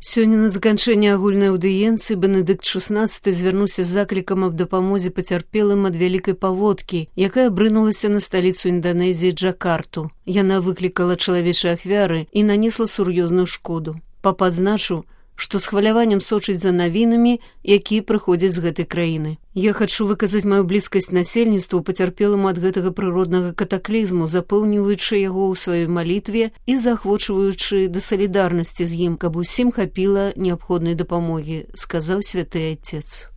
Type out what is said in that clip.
Сёння на заканчэнне агульнай аўдыенцыі Бенедыкт XVI звярнуўся з заклікам аб дапамозе пацярпелым ад вялікай паводкі, якая абрынулася на сталіцу Інданезіі Джакарту. Яна выклікала чалавечыя ахвяры і нанесла сур'ёзную шкоду. Папа адзначыў, што з хваляваннем сочыць за навінамі, якія прыходзяць з гэтай краіны. Я хачу выказаць маю блізкасць насельніцтву пацярпеламу ад гэтага прыроднага катаклізму, запэўніваючы яго ў сваёй малітве і заахвочваючы да салідарнасці з ім, каб усім хапіла неабходнай дапамогі, сказаў святы айцец.